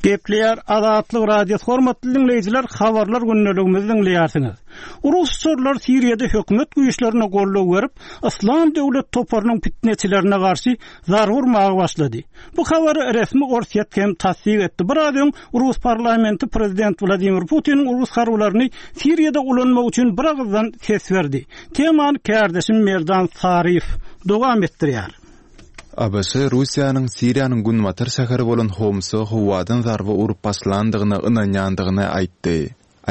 Gepleýär Azatlyk Radiosy hormatly diňleýjiler habarlar gündeligimizi diňleýärsiňiz. Rus uçarlary Siriýada hökümet güýçlerine goldaw berip, Yslam döwlet toparynyň pitneçilerine garşy zarba urmaga başlady. Bu habary resmi Orsýet hem tassyk etdi. Biraz öň rus parlamenti prezident Wladimir Putiniň rus harbylaryny Siriýada ulanmak üçin biragyzdan ses berdi. Temany kärdeşim Merdan Saryýew dowam etdirýär. ABŞ Russiýanyň Siriýanyň günbatar şäheri bolan Homsa howadan zarba urup başlandygyna ynanýandygyny aýtdy.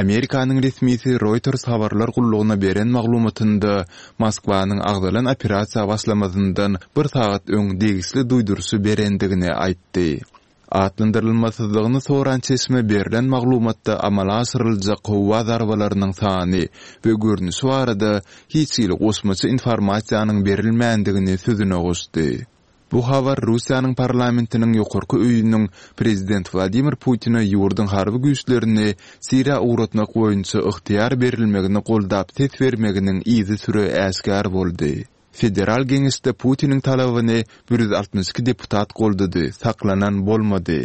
Amerikanyň resmisi Reuters habarlar gullugyna beren maglumatynda Moskwanyň agzalan operasiýa başlamazyndan bir sagat öň degişli duýduryşy berendigini aýtdy. Atlandyrylmasyzlygyny soran çeşme berlen maglumatda amala aşyryljak howa zarbalarynyň sany we görnüşi barada hiç hili goşmaça informasiýanyň berilmändigini sözüne goşdy. Bu habar Russiýanyň parlamentiniň ýokarky öýüniň prezident Wladimir Putine ýurduň harby güýçlerini Siriýa ugratmak boýunça ygtyýar berilmegini goldap ses bermeginiň yzysüre äşgär boldy. Federal Geňeşde Putiniň talabyny 162 deputat goldady, saklanan bolmady.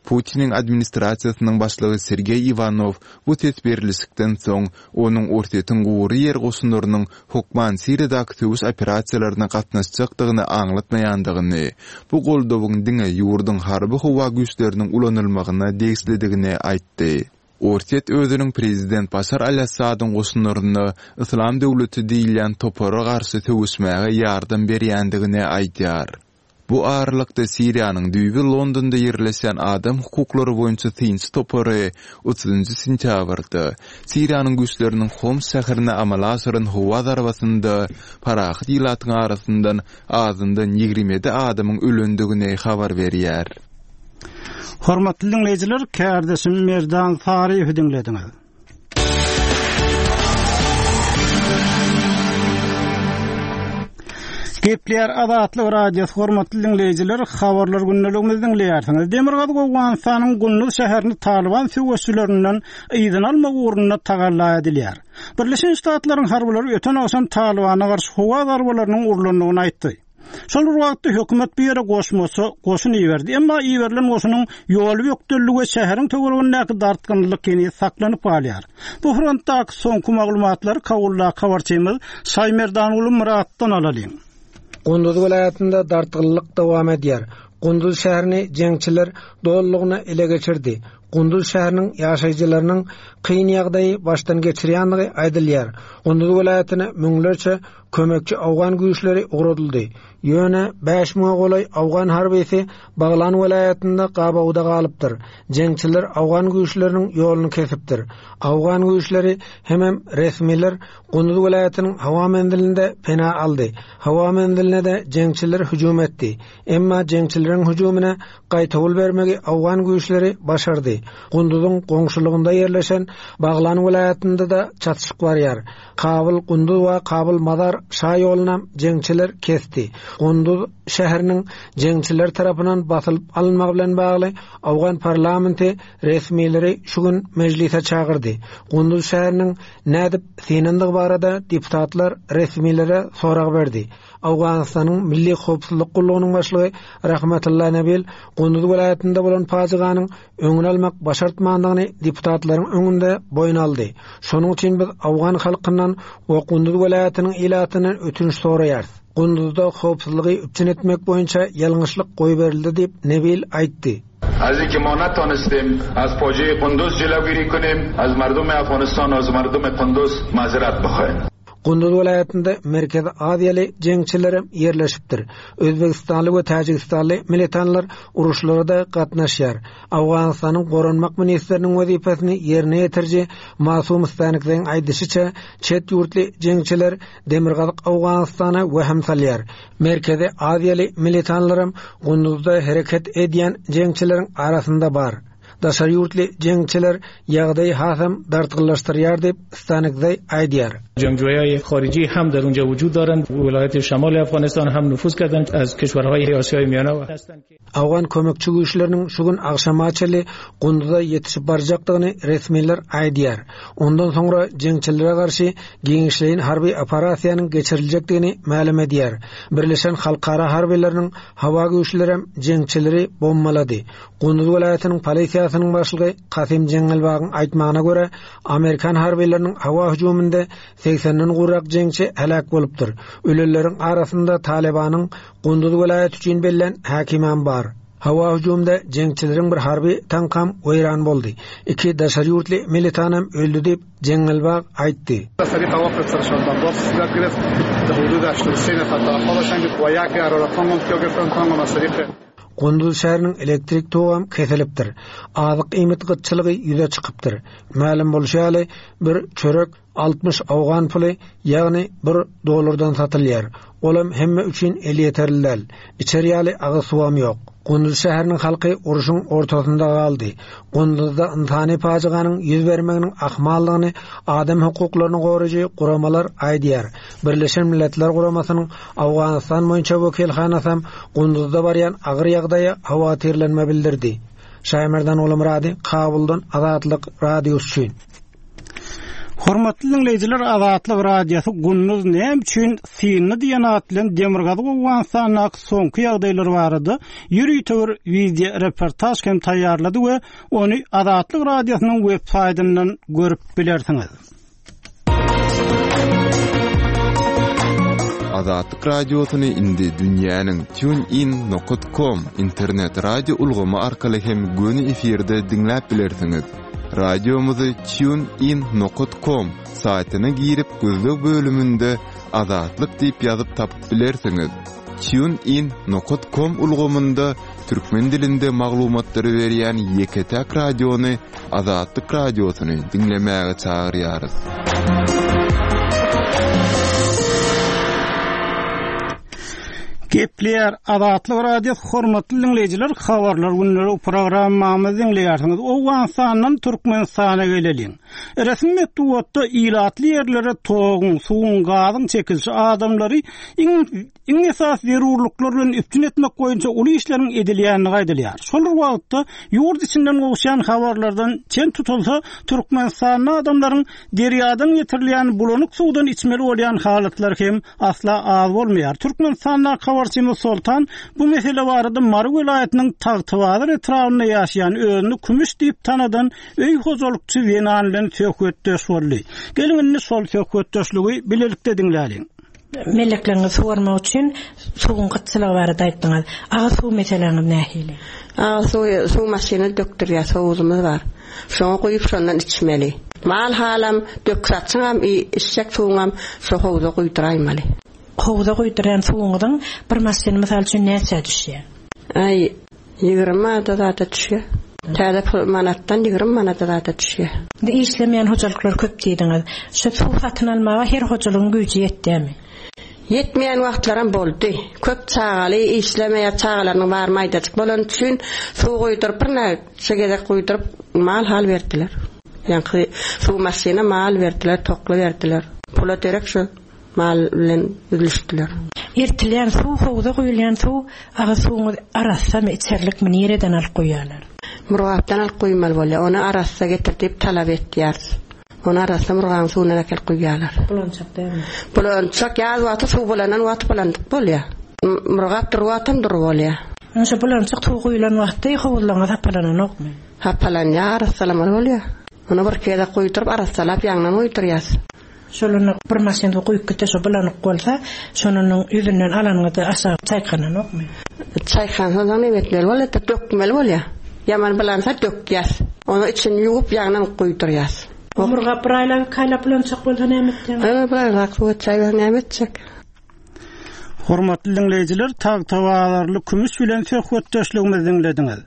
Putiniň administrasiýasynyň başlygy Sergeý Iwanow bu ses berlişikden soň, onuň Orsýetiň gury ýer goşunlarynyň hokman Siriýadaky söweş operasiýalaryna gatnaşjakdygyny aňlatmaýandygyny, bu goldawyň diňe ýurduň harby-howa güýçleriniň ulanylmagyna degişlidigini aýtdy. Orsýet özüniň prezident Başar al-Assadyň goşunlaryna Yslam döwleti diýilýän topara garşy söweşmäge ýardam berýändigini aýdýar. Bu aralykda Siriýanyň düýbi Londonda ýerleşýän adam hukuklary boýunça synçy topary otuzynjy sentýabrda Siriýanyň güýçleriniň Homs şäherine amala aşyran howa zarbasynda parahat ilatyň arasyndan azyndan 27 adamyň ölendigini habar berýär. Hormatly diňleýjiler, kärdeşim Merdan Saryýewi diňlediňiz. Gepleýär Azatlyk Radiosy hormatly diňleýjiler, habarlar gündeligimizi diňleýärsiňiz. Demirgazyk Owganystanyň Gunduz şäherini Talyban söweşçilerinden yzyna almak ugrunda tagalla edilýär. Birleşen Ştatlaryň harbylary öten agşam Talybana garşy howa zarbalarynyň urlandygyny aýtdy. Şol bir wagtda hökümet bu ýere goşmaça goşun iberdi. Emma iberilen goşunyň ýoly bökdeldi we şäheriň töweregindäki dartgynlylyk heniz saklanyp galýar. Bu frontdaky soňky maglumatlary Kabuldaky habarçymyz Şaýmerdanguly Myratdan alalyň. Gunduz welaýatynda dartgynlylyk dowam edýär. Gunduz şäherini jeňçiler dolulygyna ele geçirdi. Gunduz şäheriniň ýaşaýjylarynyň kyn ýagdaýy başdan geçirýändigi aýdylýar. Gunduz welaýatyna müňlerçe Kömekçi owgan güýçleri ugradyldy. Ýöne 5000-e golaý owgan harbysy Baglan welaýatynda gabawda galypdyr. Jeňçiler owgan güýçleriniň ýoluny kesipdir. Owgan güýçleri hemem resmiler Gunduz welaýatynyň howa menzilinde pena aldy. Howa menziline-de jeňçiler hüjüm etdi. Emma jeňçileriň hüjümine gaýtawul bermegi owgan güýçleri başardy. Gunduzyň goňşulygynda ýerleşen Baglan welaýatynda-da çatyşyk barýar. Kabyl, Gunduz we Kabyl, Mazar şa ýolunam jeňçiler kesdi. Gunduz şäheriniň jeňçiler tarapyndan basylyp alynmagy bilen bagly owgan parlamenti resmileri şu gün mejlise çagyrdy. Gunduz şäheriniň nädip synandygy barada deputatlar resmilere sorag berdi. Owganystanyň Milli howpsuzlyk gullugynyň başlygy Rahmatulla Nabil Gunduz welaýatynda bolan pajyganyň öňüni almak başartmandygyny deputatlaryň öňünde boýun aldy. Şonuň üçin biz owgan halkyndan we Gunduz welaýatynyň ilatyndan ötünç soraýarys. Gunduzda howpsuzlygy üpjün etmek boýunça ýalňyşlyk goýberildi diýip, Nebil aýtdy. از اینکه ما نتانستیم از فاجعه قندوز جلوگیری کنیم از مردم افغانستان و از مردم قندوز معذرت بخواهیم. Gunduz welaýatynda Merkezi Aziýaly jeňçilerem ýerleşipdir. Özbegistanly we täjigistanly militanlar uruşlara-da gatnaşýar. Owganystanyň goranmak ministriniň wezipesini ýerine ýetiriji Masum Stanikzeýiň aýdyşyça, çet ýurtly jeňçiler Demirgazyk Owganystana wehim salýar. Merkezi Aziýaly militanlaram Gunduzda hereket edýän jeňçileriň arasynda bar. Daşary ýurtly jeňçiler ýagdaýy hasam dartgynlaşdyrýar diýip, Stanikzaý aýdýar. جنگجوهای خارجی هم در اونجا وجود دارند ولایت شمال افغانستان هم نفوذ کردند از کشورهای آسیای میانه هستند که Owgan kömekçi güýçleriniň şu gün agşama çenli Gunduza ýetişip barjakdygyny resmiler aýdýar. Ondan soňra jeňçilere garşy giňişleýin harby operasiýanyň geçiriljekdigini mälim edýär. Birleşen halkara harbylarynyň howa güýçlerem jeňçileri bombalady. Gunduz welaýatynyň polisiýasy. Polisiýasynyň başlygy Kasym Jeňňelbagyň aýtmagyna görä, amerikan harbylarynyň howa hüjüminde segsenden gowrak jeňçi heläk bolupdyr. Ölenleriň arasynda Talybanyň Gunduz welaýaty üçin bellän häkimem bar. Howa hüjümde jeňçileriň bir harby tankam weýran boldy. Iki daşary ýurtly militanam öldi diýip, Jeňňelbag aýtdy. Gunduz şäheriniň elektrik togam kesilipdir. Azyk-iýmit gytçylygy ýüze çykypdyr. Mälim bolşy ýaly, bir çörek 60 owgan puly, ýagny bir dollardan satylýar. Olam hemme üçin elýeterli däl. Içer ýaly agyz suwam ýok. Gunduz şäheriniň halky urşuň ortasynda galdy. Gunduzda ynsany pajyganyň ýüz bermeginiň ahmaldygyny adam hukuklaryny goraýjy guramalar aýdýar. Birleşen Milletler Guramasynyň Owganystan boýunça wekilhanasam Gunduzda barýan agyr ýagdaýa howatyrlanma bildirdi. Şaýmerdan Gulumyrady, Kabuldan Azatlyk Radiosy üçin. Hormatly diňleýjiler, Azatlyk Radiosy Gunduz näme üçin syndy diýen at bilen Demirgazyk Owganystandaky soňky ýagdaýlar barada ýörite bir wideo reportaž hem taýýarlady we ony Azatlyk Radiosynyň web saýtyndan görüp bilersiňiz. Azatlyk Radiosyny indi dünýäniň TuneIn nokat com internet radio ulgamy arkaly hem göni efirde diňläp bilersiňiz. Radiomyzy TuneIn nokat com saýtyna girip gözleg bölüminde Azatlyk diýip ýazyp tapyp bilersiňiz. TuneIn nokat com ulgamynda türkmen dilinde maglumatlary berýän ýeke-täk radiony Azatlyk Radiosyny diňlemäge çagyrýarys. Gepleýär Azatlyk Radiosy hormatly diňleýjiler habarlar günleri programmamyzy diňleýärsiňiz. Owganystandan Türkmenistana geleliň. Resmi metbugatda ilatly ýerlere toguň, suwuň, gazyň çekilişi adamlary iň Iň esasy zerurlyklar bilen üpjün etmek boýunça uly işleriň edilýändigi aýdylýar. Şol bir wagtda, ýurt içinden gowuşýan habarlardan çen tutulsa, Türkmenistanda adamlaryň derýadan getirilýän bulanyk suwdan içmeli bolýan halatlary hem asla az bolmaýar. Türkmenistandaky habarçymyz Soltan bu mesele barada Mary welaýatynyň Tagtabazar etrabynda ýaşaýan özüni Kümüş diýip tanadan öý hojalykçy zenan bilen söhbetdeş boldy. Geliň indi şol söhbetdeşligi bilelikde diňläliň. Mellekleriňizi suwarmak üçin suwuň gytçylygy barada aýtdyňyz. Agyz suw meseläňiz nähili? Agyz suwy suw maşyny dökdürýäs, howuzymyz bar. Şoňa guýup şondan içmeli. Mal halam, dök-saçyňam, içjek suwuňam şo howuza guýduraýmaly. Howuza guýdurýan suwuňyzyň bir maşyny mysal üçin näçä düşýär? Aý, 20 manada zada düşýär. Täze pul manatdan 20 manada zada düşýär. Indi işlemeýän hojalyklar köp diýdiňiz. Şu suw satyn almaga her hojalygyň güýji ýetýärmi? Ýetmeýän wagtlaram boldy. Köp çagaly, işlemeýär, çagalarynyň bary maýdajyk bolany üçin suw guýduryp birnäçe gezek guýduryp mal-hal berdiler. Ýaňky suw maşyna mal berdiler, tokly berdiler. Pula derek şu. Mal bilen üzlüşdiler. Eltilýän suw howza guýulýan suw agyz suwuňyz arassamy içerlikmi nireden alyp guýýarlar. Murgapdan alyp guýmaly bolýar. Ony arassa getir diýip talap etýäris. Ony arassa Murgabyň suwundan äkelip guýýarlar. Bulançak dälmi? Bulançak ýaz wagty suw bulanan wagty bulandyk bolýar. Murgap dury wagtam dury bolýar. Ine şo bulançak suw guýulan wagty howuzlaryňyz hapalananokmy? Hapalanýar arassalamaly bolýar. Ony birki gezek guýduryp arassalap ýaňdan guýdurýas. Şol onda bir maşyn suw guýup gitse şo bulanyk bolsa, şonanyň ýüzünden alanyňyzda aşagy çaýkananokmy? Çaýkansa soň neme etmeli bolýar-da, dökmeli bolýar. Ýaman bulansa dökýäs. Onuň içini ýuwup ýaňdan guýdurýas. Murgap bir aýlap, iki aýlap bulançak bolsa näme etjeň? Aý, bir aýlap suw etjäýseň näme etjek? Hormatly diňleýjiler, Tagtabazarly Kümüş bilen söhbetdeşligimizi diňlediňiz.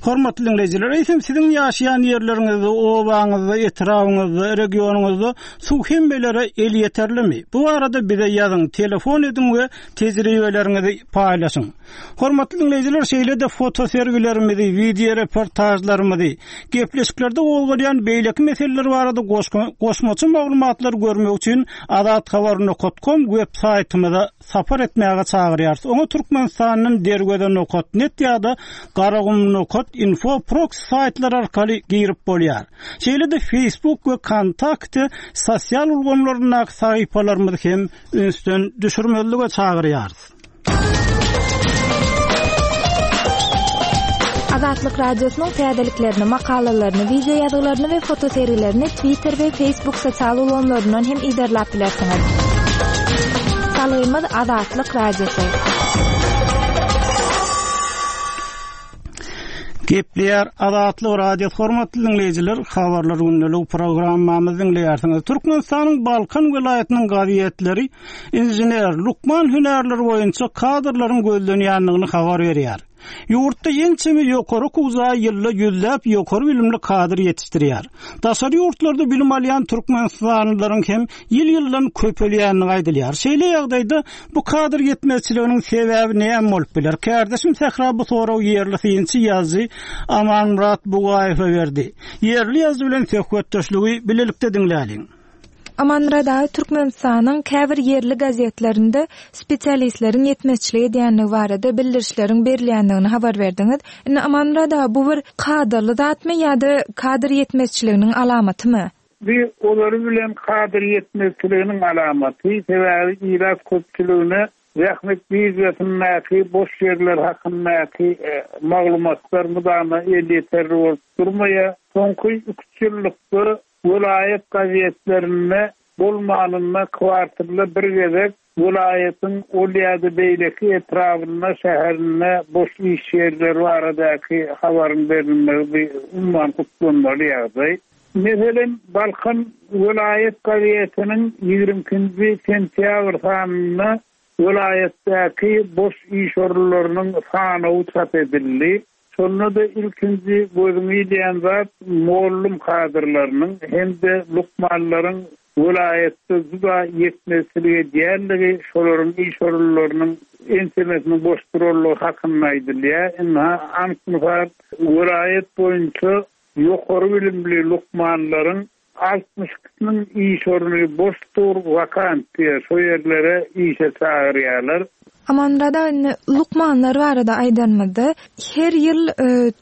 Hormatly diňleýjiler, eýsem siziň ýaşaýan ýerleriňizde, obaňyzda, etrabyňyzda, regionyňyzda suw hemmelere elýeterlimi? Bu barada bize ýazyň, telefon ediň we tejribeleriňizi paýlaşyň. Hormatly diňleýjiler, şeýle-de fotosergilerimizi, wideoreportažlarymyzy, gepleşiklerde gozgalýan beýleki meseleler barada goşmaça maglumatlary görmek üçin azathabar nokat kom web saýtymyza sapar etmäge çagyrýarys. Oňa Türkmenistandan Derweze nokat net ýa-da Garagum nokat info proksi saýtlary arkaly girip bolýar. Şeýle-de Facebook we Kontakte sosial ulgamlaryndaky sahypalarymyzy hem ünsden düşürmezlige çagyrýarys. Azatlyk Radiosynyň täzeliklerini, makalalaryny, wideo ýazgylaryny we fotosergilerini Twitter we Facebook sosial ulgamlaryndan hem yzarlap bilersiňiz. Salgymyz Azatlyk Radiosy. Gepleýär Azatlyk Radiosy hormatly diňleýjiler, habarlar gündelik programmamyzy diňleýärsiňiz. Türkmenistanyň Balkan welaýatynyň gazetleri inžener, lukman hünärleri boýunça kadrlaryň gözlenýändigini habar berýär. Ýurtda ençeme ýokary okuw jaýy ýylda ýüzläp ýokary bilimli kadr ýetişdirýär. Daşary ýurtlarda bilim alýan türkmenistanlylaryň hem ýyl-ýyldan köpelýändigi aýdylýar. Şeýle ýagdaýda bu kadr ýetmezçiliginiň sebäbi näme bolup biler? Kärdeşim Sähra bu soragy ýerli synçy ýazyjy Amanmyrat Bugaýewe berdi. Ýerli ýazyjy bilen söhbetdeşligi bilelikde diňläliň. Amanmyrat aga, Türkmenistanyň käbir ýerli gazetlerinde spesialistleriň ýetmezçilik edýändigi barada bildirişleriň berilýändigini habar berdiňiz. Indi Amanmyrat aga, bu bir kadaly zatmy ýa-da kadr ýetmezçiliginiň alamatymy? Bu ozaly bilen kadr ýetmezçiliginiň alamaty, sebäbi ilat köpçüligine zähmet biržasyndaky boş ýerler hakyndaky maglumatlar mydama elýeterli bolup durmaýar. Soňky iki-üç ýyllykda Welaýat gazetlerinde bolmanynda kwartalda bir gezek welaýatyň ol ýa-da beýleki etrabynda, şäherinde boş iş ýerleri baradaky habaryň berilmegi bi umuman gutlanmaly ýagdaý. Meselem, Balkan welaýat gazetiniň 22 nji sentýabr sanynda welaýatdaky boş iş orunlarynyň sanawy çap edildi. Şonda-da ilkinji gözüňe ilýän zat mollum kadrlarynyň hem-de lukmanlaryň welaýatda juda ýetmezçilik edýänligi, şolaryň iş orunlarynyň ençemesiniň boş duranlygy hakynda aýdylýar. Ynha, anyk mysal, welaýat boýunça ýokary bilimli lukmanlaryň 62-siniň iş orny boş dur, wakant diýýär, şo ýerlere işe çagyrýarlar. Amanmyrat aga, indi lukmanlar barada aýdanymyzda, her ýyl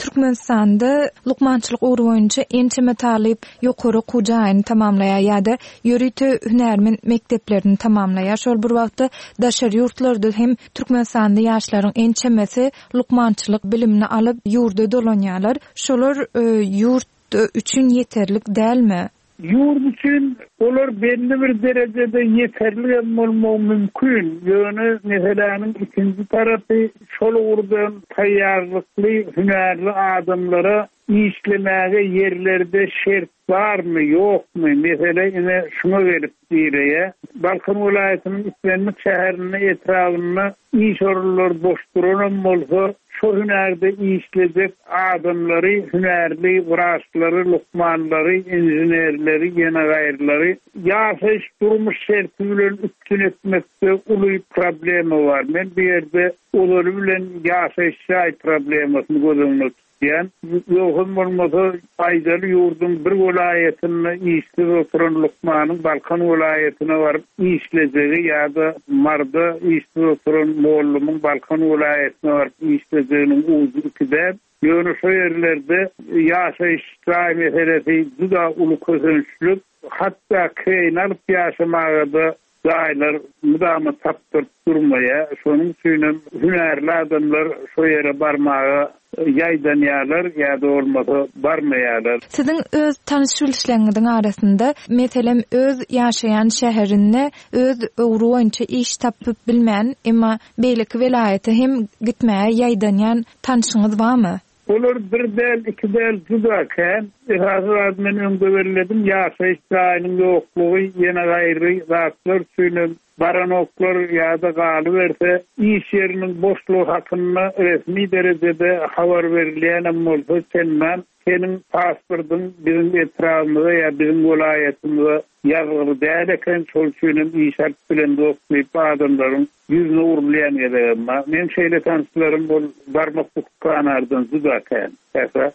Türkmenistanda lukmançylyk ugry boýunça ençeme talyp ýokary okuw jaýyny tamamlaýar ýa-da ýörite hünärmen mekdeplerini tamamlaýar. Şol bir wagtda daşary ýurtlarda hem türkmenistanly ýaşlaryň ençemesi lukmançylyk bilimini alyp ýurda dolanýarlar. Şolar ýurt üçin ýeterlik dälmi? Ýurt üçin olar belli bir derejede ýeterligem bolmagy mümkin, ýöne meseläniň ikinji tarapy şol ugurdan taýýarlykly hünärli adamlara işlemäge ýerlerde şert barmy, ýokmy, mesele ine şuňa gelip direýär. Balkan welaýatynyň islendik şäherinde, etrabynda Iş orunlary boş duranam bolsa, şo hünärde işlejek adamlary, hünärli wraçlary, lukmanlary, inženerleri, ýene gaýrylary ýaşaýyş-durmuş şerti bilen üpjün etmekde uly problema bar. Men bu ýerde ozaly bilen ýaşaýyş jaý problemasyny göz öňünde Diýen. Ýogsam bolmasa, aýdaly ýurduň bir welaýatynda işsiz oturan lukmanyň Balkan welaýatyna baryp işlejegi ýa-da Maryda işsiz oturan mollumyň Balkan welaýatyna baryp işlejeginiň ujy iki däl. Ýöne şo ýerlerde ýaşaýyş jaý meselesi juda uly kösençlik. Hatda kireýine alyp ýaşamaga-da Jaýlar mydama tapdyryp durmaýar. Şonuň üçinem hünärli adamlar şo ýere barmaga ýaýdanýarlar ýa-da bolmasa barmaýarlar. Siziň öz tanyş-bilişleriňiziň arasynda, meselem, öz ýaşaýan şäherinde öz ugry boýunça iş tapyp bilmän, emma beýleki welaýata hem gitmäge ýaýdanýan tanşyňyz barmy? Olar bir däl, iki däl, juda kän. Esasy zady men öňde belledim, ýaşaýyş jaýynyň ýoklugy, ýene gaýry zatlar üçinem baranoklar ýa-da galyberse, iş ýeriniň boşlugy hakynda resmi derejede habar berilýänem bolsa, çendan seniň pasportyň biziň etrabymyza ýa biziň welaýatymyza ýazgyly däl eken, şol üçinem iş alyp bilemzok diýip adamlaryň Ýüzüne urulýan gezegem bar. Meň şeýle tanyşlarym ol barmak bukup ganardan juda kän. Sähra.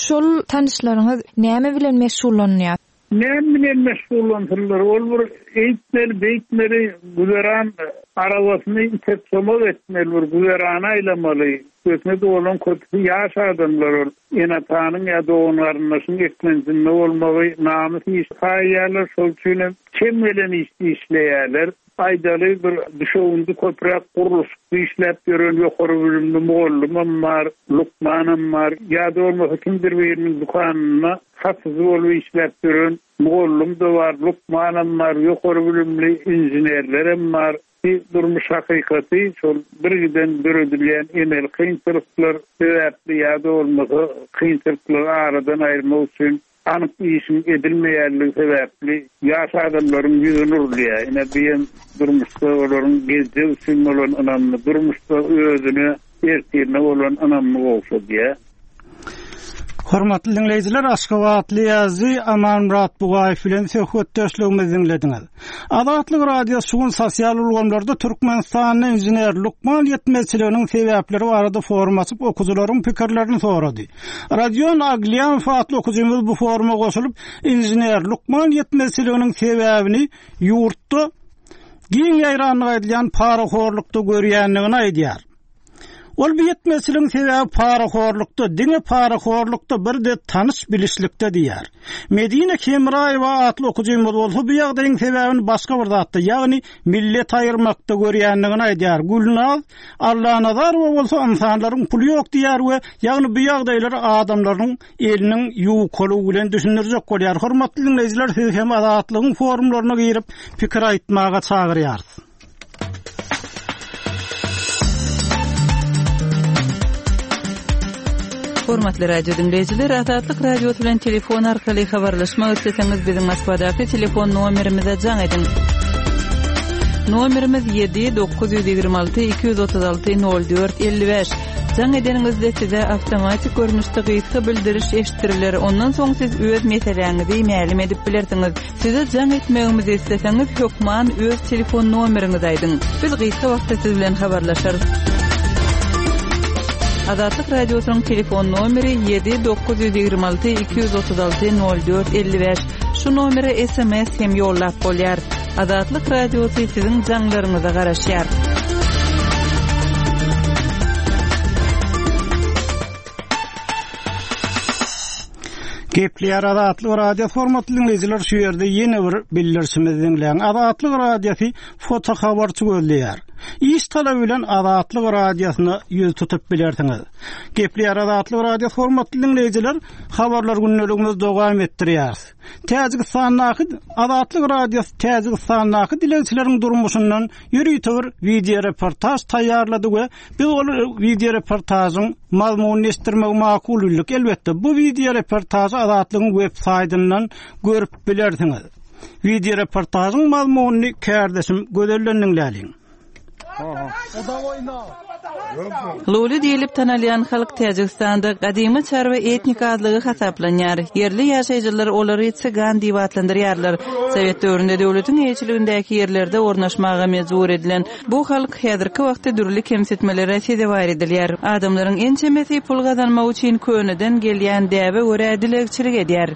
Şol tanyşlaryňyz näme bilen meşgullanýar? Näme bilen meşgullansynlar? Ol bir eýtmeli, beýtmeli, güzeran arabasyny itek-somak etmeli, bir güzerany aýlamaly. Üstesine-de olaryň köpüsi ýaş adamlar ol ene-atanyň ýa dogan-garyndaşyň eklenjinde bolmagy namys iş saýýarlar, şol üçin hem çem gelen işde işleýärler. Aýdaly, bir düşewündi köpräk gurluşykda işläp ýören ýokary bilimli mugallymam bar, lukmanam bar, ýa-da bolmasa kimdir biriniň dükanynda satyjy bolup işläp ýören mugallym-da bar, lukmanam bar, ýokary bilimli inženerlerem bar. Bi durmuş hakykaty şol birgiden döredilýän emeli kynçylyklar sebäpli ýa-da bolmasa kynçylyklary aradan aýyrmak üçin anyk işiň edilmeýänligi sebäpli ýaş adamlaryň ýüzüne urulýar. Ine bi hem durmuşda olaryň geljek üçin bolan ynamyny, durmuşda özüne, ertirine bolan ynamyny gowşadýar. Hormatly diňleýjiler, aşgabatly ýazyjy Amanmyrat Bugaýew bilen söhbetdeşligimizi diňlediňiz. Azatlyk Radiosy şu gün sosial ulgamlarda Türkmenistanda inžener, lukman ýetmezçiliginiň sebäpleri barada forum açyp, okyjylaryň pikirlerini sorady. Rodion Aglýamow atly okyjymyz bu foruma goşulyp, inžener, lukman ýetmezçiliginiň sebäbini ýurtda giň ýaýrandygy aýdylýan parahorlukda görýändigini aýdýar. Ol bu ýetmezçiligiň sebäbi parahorlukda, diňe parahorlukda, bir-de tanyş-bilişlikde diýýär. Medine Hemraýewa atly okyjymyz bolsa bu ýagdaýyň sebäbini başga bir zatda, ýagny millet aýyrmakda görýändigini aýdýar. Gülnaz Allanazarowa bolsa ynsanlaryň puly ýok diýýär we ýagny bu ýagdaýlary adamlaryň eliniň ýukalygy bilen düşündirjek bolýar. Hormatly diňleýjiler sizi hem Azatlygyň forumlaryna girip pikir aýtmaga çagyrýarys. Hormatly radio diňleýjiler, Azatlyk Radiosy bilen telefon arkaly habarlaşmak isleseňiz, biziň Moskwadaky telefon nomerimize jaň ediň. Nomerimiz 7 926 236 04 55. Jaň edeniňizde size awtomatik görnüşde gysga bildiriş eşitdiriler. Ondan soň siz öz meseläňizi mälim edip bilersiňiz. Size jaň etmegimizi isleseňiz, hökman öz telefon nomeriňizi aýdyň. Biz gysga wagtda siz bilen habarlaşarys. Azatlyk Radiosynyň telefon nomeri 7 926 236 04 55. Şu nomere sms hem ýollap bolýar. Azatlyk Radiosy siziň jaňlaryňyza garaşýar. Gepleýär Azatlyk Radiosy hormatly diňleýjiler şu ýerde ýene bir bildirişimizi diňläň. Azatlyk Radiosy foto habarçy gözleýär. Iş talaby bilen Azatlyk Radiosyna ýüz tutup bilersiňiz. Gepleýär Azatlyk Radiosy hormatly diňleýjiler habarlar gündeligimizi dowam etdirýäris. Täjigistandaky Azatlyk Radiosy Täjigistandaky dilegçileriň durmuşyndan ýörite bir wideo reportaž taýýarlady we Biz ol wideoreportažyň mazmunyny eşitdirmegi makul bildik. Elbetde, bu wideoreportažy Azatlygyň web saýtyndan görüp bilersiňiz. Wideoreportažyň mazmunyny kärdeşim Gözelden diňläliň. Luli diýlip tanalýan halk Täjigistanda gadymy çarwa etnik azlygy hasaplanýar. Ýerli ýaşaýjylar olary çygan diýip atlandyrýarlar. Sowet döwründe döwletiň eýeçiligindäki ýerlerde ornaşmaga mejbur edilen Bu halk häzirki wagtda dürli kemsitmelere sezewar edilýär. Adamlaryň ençemesi pul gazanmak üçin köneden gelýän däbe görä dilegçilik edýär.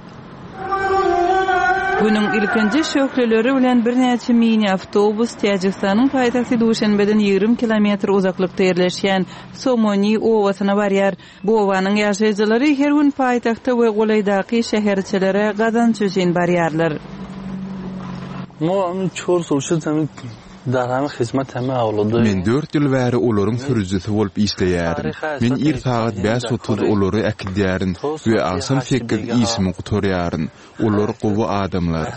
Günüň ilkinji şöhleleri bilen birnäçe mini-awtobus Täjigistanyň paýtagty Duşenbeden 20 kilometr uzaklykda ýerleşýän Somoni obasyna barýar. Bu obanyň ýaşaýjylary her gün paýtagta we golaýdaky şäherçelere gazanç üçin barýarlar. Men dört ýyl bäri olaryň sürüjisi bolup işleýärin. Men ir sagat 5:30 olary äkidýärin we agşam sekiz işimi gutarýaryn. Olar gowy adamlar.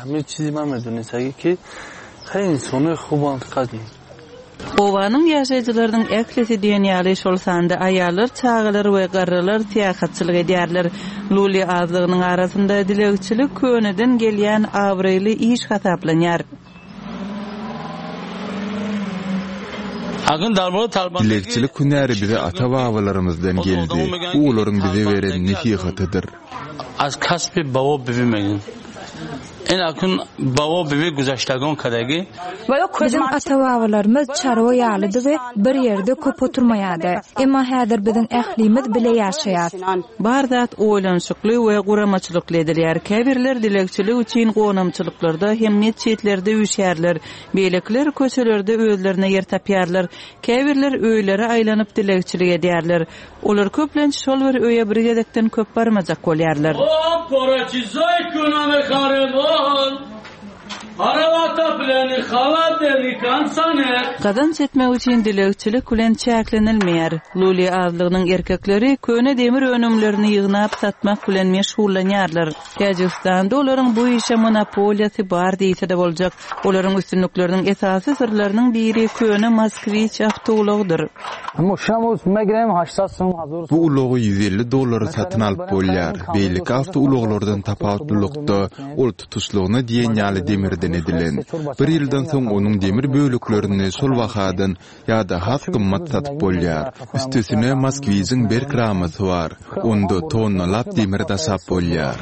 Obanyň ýaşaýjylarynyň ählisi diýen ýaly, şol sanda aýallar, çagalar we garrylar syýahatçylyk edýärler. Luli azlygynyň arasynda dilegçilik köneden gelýän abraýly iş hasaplanýar. Dilegçilik hünäri bize ata-babalarymyzdan geldi. Bu olaryň bize beren nesihatydyr. Biziň ata-babalarymyz çarwa ýalydy we bir ýerde köp oturmaýardy. Emma häzir biziň ählimiz bile ýaşaýas. Bar zat oýlanyşykly we guramaçylykly edilýär. Käbirler dilegçilik üçin gonamçylyklarda hem metjitlerde üýşýärler. Beýlekiler köçelerde özlerine ýer tapýarlar. Käbirler öýlere aýlanyp dilegçilik edýärler. Olar köplenç şol bir öýe bir gezekden köp barmajak bolýarlar. Gazanç etmek üçin dilegçilik bilen çäklenilmeýär. Luli azlygynyň erkekleri köne demir önümlerini ýygnap satmak bilen meşgullanýarlar. Täjigistanda olaryň bu işe monopoliýasy bar diýse-de boljak. Olaryň üstünlikleriniň esasy syrlarynyň biri köne Moskwiç awtoulagydyr. Bu ulagy 150 dollara satyn alyp bolýar. Beýleki awtoulaglardan tapawutlylykda, ol tutuşlygyna diýen ýaly demirden edilen. Bir ýyldan soň onuň demir böleklerini şol bahadan ýa-da has gymmat satyp bolýar. Üstesine, Moskwiçiň berk ramasy bar. Onda tonnalap demir daşap bolýar.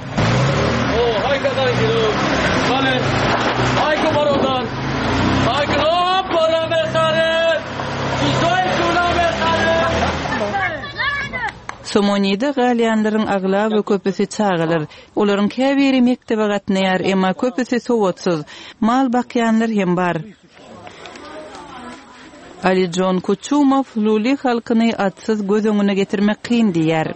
Somonide galýanlaryň aglaba köpüsi çagalar. Olaryň käbiri mekdebe gatnaýar, emma köpüsi sowatsyz. Mal bakýanlar hem bar. Alijon Kuçumow luli halkyny atsyz göz öňüne getirmek kyn diýýär.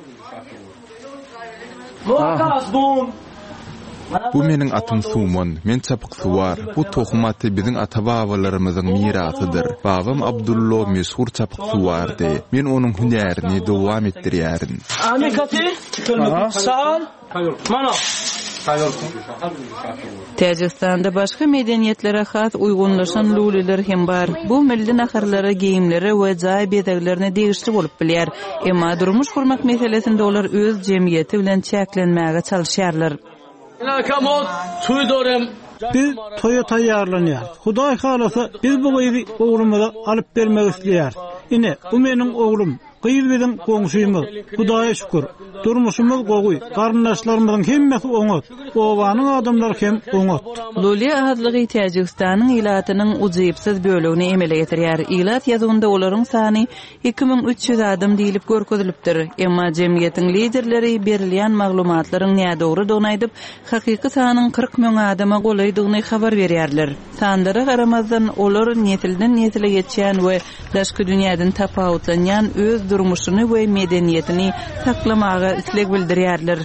Bu meniň atym Suman. Men çapyksuwar. Bu tohum aty biziň ata-babalarymyzyň mirasydyr. Babam Abdullo meşhur çapyksuwardy. Men onuň hünärini dowam etdirýärin. Täjigistanda başga medeniýetlere has uýgunlaşan luliler hem bar. Bu milli naharlara, geýimlere we jaý bezeglerine degişli bolup bilýär. Emma durmuş gurmak meselesinde olar öz jemgyýeti bilen çäklenmäge çalyşýarlar. Biz toýa taýýarlanýarys. Hudaý halasa, biz bu gyzy oglumyza alyp bermek isleýäris. Ine, bu meniň oglum. Gyz biziň goňşymyz. Hudaýa şükür, durmuşymyz gowy, garyndaşlarymyzyň hemmesi oňat, obanyň adamlary hem oňat. Luli azlygy Täjigistanyň ilatynyň ujypsyz bölegini emele getirýär. Ilat ýazuwynda olaryň sany 2300 adam diýlip görkezilipdir. Emma jemgyýetiň liderleri berilýän maglumatlaryň nädogrudygyny aýdyp, hakyky sanyň 40 müň adama golaýdygyny habar berýärler. Sanlara garamazdan, olar nesilden-nesile geçýän we daşky dünýäden tapawutlanýan öz durmuşyny we medeniýetini saklamaga isleg bildirýärler.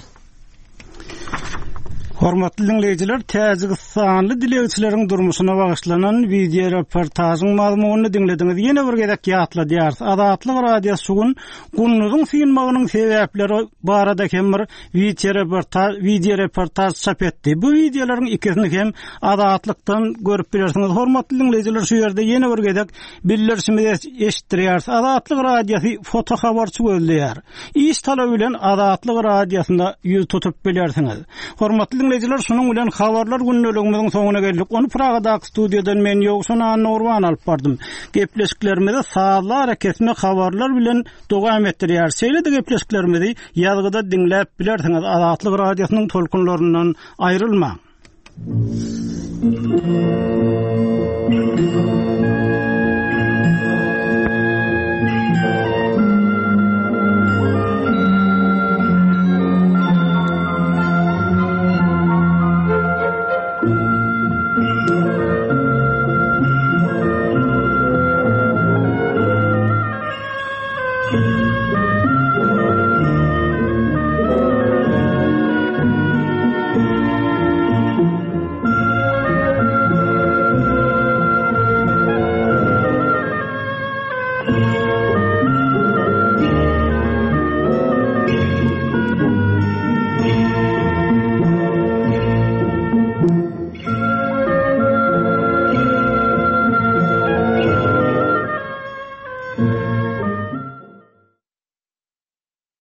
Hormatly diňleýjiler, täjigistanly dilegçileriň durmuşyna bagyşlanan wideoreportažyň mazmunyny diňlediňiz. Ýene bir gezek ýatladýarys, Azatlyk Radiosy şu gün Gunduzyň synmagynyň sebäpleri barada hem bir wideoreportaž çap etdi. Bu wideolaryň ikisini hem Azatlykdan görüp bilersiňiz. Hormatly diňleýjiler, şu ýerde ýene bir gezek bildirişimizi eşitdirýäris. Azatlyk Radiosy fotohabarçy gözleýär. Iş talaby bilen Azatlyk Radiosyna ýüz tutup bilersiňiz. Hormatly diňleýjiler, şunuň bilen habarlar gündeligimiziň soňuna geldik. Ony Pragadaky studiýadan men Ýowşan Annagurban alyp bardym. Gepleşiklerimizi sazly arakesme habarlar bilen dowam etdirýäris. Şeýle-de gepleşiklerimizi ýazgyda diňläp bilersiňiz. Azatlyk Radiosynyň tolkunlaryndan aýrylmaň.